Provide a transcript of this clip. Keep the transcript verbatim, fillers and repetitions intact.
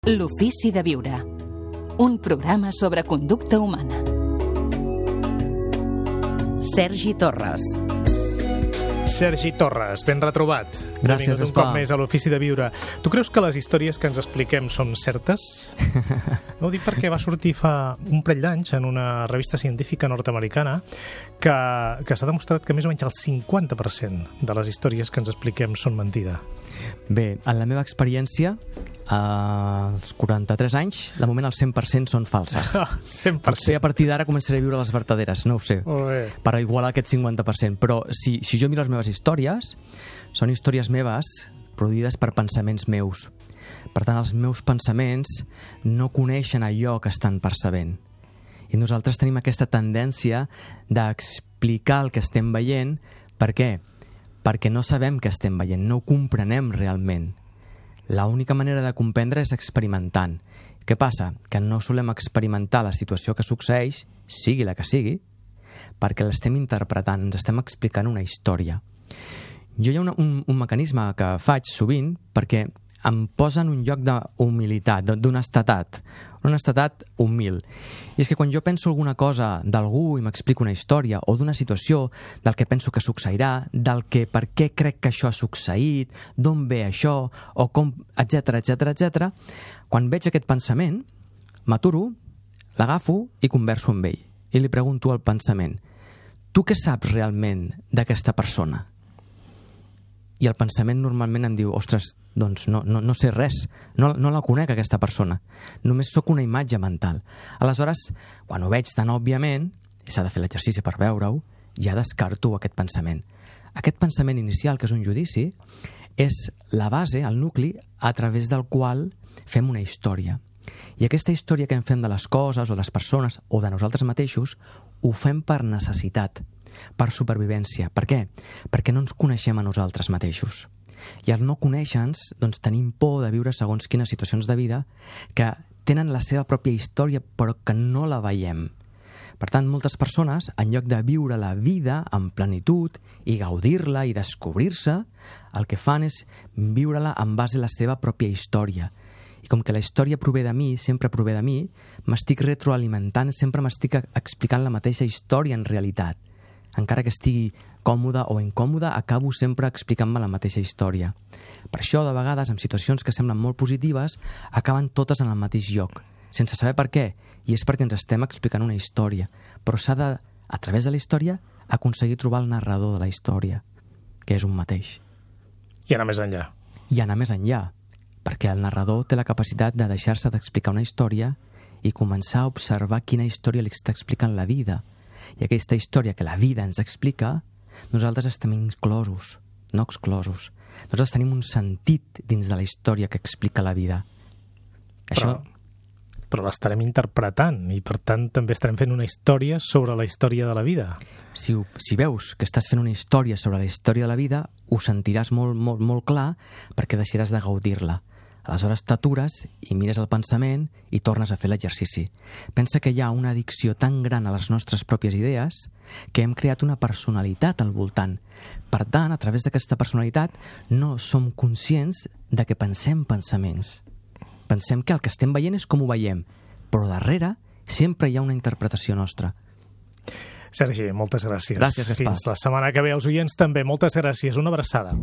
L'ofici de viure. Un programa sobre conducta humana. Sergi Torres. Sergi Torres, ben retrobat. Gràcies, un cop més a l'Ofici de Viure. Tu creus que les històries que ens expliquem són certes? No ho dic perquè va sortir fa un parell d'anys en una revista científica nord-americana que, que s'ha demostrat que més o menys el cinquanta per cent de les històries que ens expliquem són mentida. Bé, en la meva experiència, als quaranta-tres anys, de moment el cent per cent són falses. cent per cent. Potser a partir d'ara començaré a viure les vertaderes, no ho sé, per igualar aquest cinquanta per cent. Però si, si jo miro les meves històries, són històries meves produïdes per pensaments meus. Per tant, els meus pensaments no coneixen allò que estan percebent. I nosaltres tenim aquesta tendència d'explicar el que estem veient. Per què? Perquè no sabem què estem veient, no ho comprenem realment. L'única manera de comprendre és experimentant. Què passa? Que no solem experimentar la situació que succeeix, sigui la que sigui, perquè l'estem interpretant, ens estem explicant una història. Jo hi ha una, un, un mecanisme que faig sovint perquè em posa en un lloc d'humilitat, d'honestedat, un estatat humil. I és que quan jo penso alguna cosa d'algú i m'explico una història o d'una situació, del que penso que succeirà, del que per què crec que això ha succeït, d'on ve això, o com, etcètera, etcètera, etcètera, quan veig aquest pensament, m'aturo, l'agafo i converso amb ell. I li pregunto al pensament: tu què saps realment d'aquesta persona? I el pensament normalment em diu: ostres, doncs no, no, no sé res, no, no la conec aquesta persona, només sóc una imatge mental. Aleshores, quan ho veig tan òbviament, i s'ha de fer l'exercici per veure-ho, ja descarto aquest pensament. Aquest pensament inicial, que és un judici, és la base, el nucli, a través del qual fem una història. I aquesta història que en fem de les coses o de les persones o de nosaltres mateixos ho fem per necessitat, per supervivència. Per què? Perquè no ens coneixem a nosaltres mateixos. I al no conèixer-nos, doncs tenim por de viure segons quines situacions de vida que tenen la seva pròpia història però que no la veiem. Per tant, moltes persones, en lloc de viure la vida en plenitud i gaudir-la i descobrir-se, el que fan és viure-la en base a la seva pròpia història. I com que la història prové de mi, sempre prové de mi, m'estic retroalimentant, sempre m'estic explicant la mateixa història en realitat. Encara que estigui còmode o incòmode, acabo sempre explicant-me la mateixa història. Per això, de vegades, en situacions que semblen molt positives, acaben totes en el mateix lloc, sense saber per què. I és perquè ens estem explicant una història. Però s'ha de, a través de la història, aconseguir trobar el narrador de la història, que és un mateix. I anar més enllà. I anar més enllà, perquè el narrador té la capacitat de deixar-se d'explicar una història i començar a observar quina història li està explicant la vida. I aquesta història que la vida ens explica, nosaltres estem inclosos, no exclosos. Nosaltres tenim un sentit dins de la història que explica la vida. Però, Això... però l'estarem interpretant i, per tant, també estarem fent una història sobre la història de la vida. Si, si veus que estàs fent una història sobre la història de la vida, ho sentiràs molt, molt, molt clar perquè deixaràs de gaudir-la. Aleshores t'atures i mires el pensament i tornes a fer l'exercici. Pensa que hi ha una addicció tan gran a les nostres pròpies idees que hem creat una personalitat al voltant. Per tant, a través d'aquesta personalitat no som conscients de que pensem pensaments. Pensem que el que estem veient és com ho veiem, però darrere sempre hi ha una interpretació nostra. Sergi, moltes gràcies. Gràcies, Gaspar. Fins la setmana que ve. Els oients també, moltes gràcies. Una abraçada.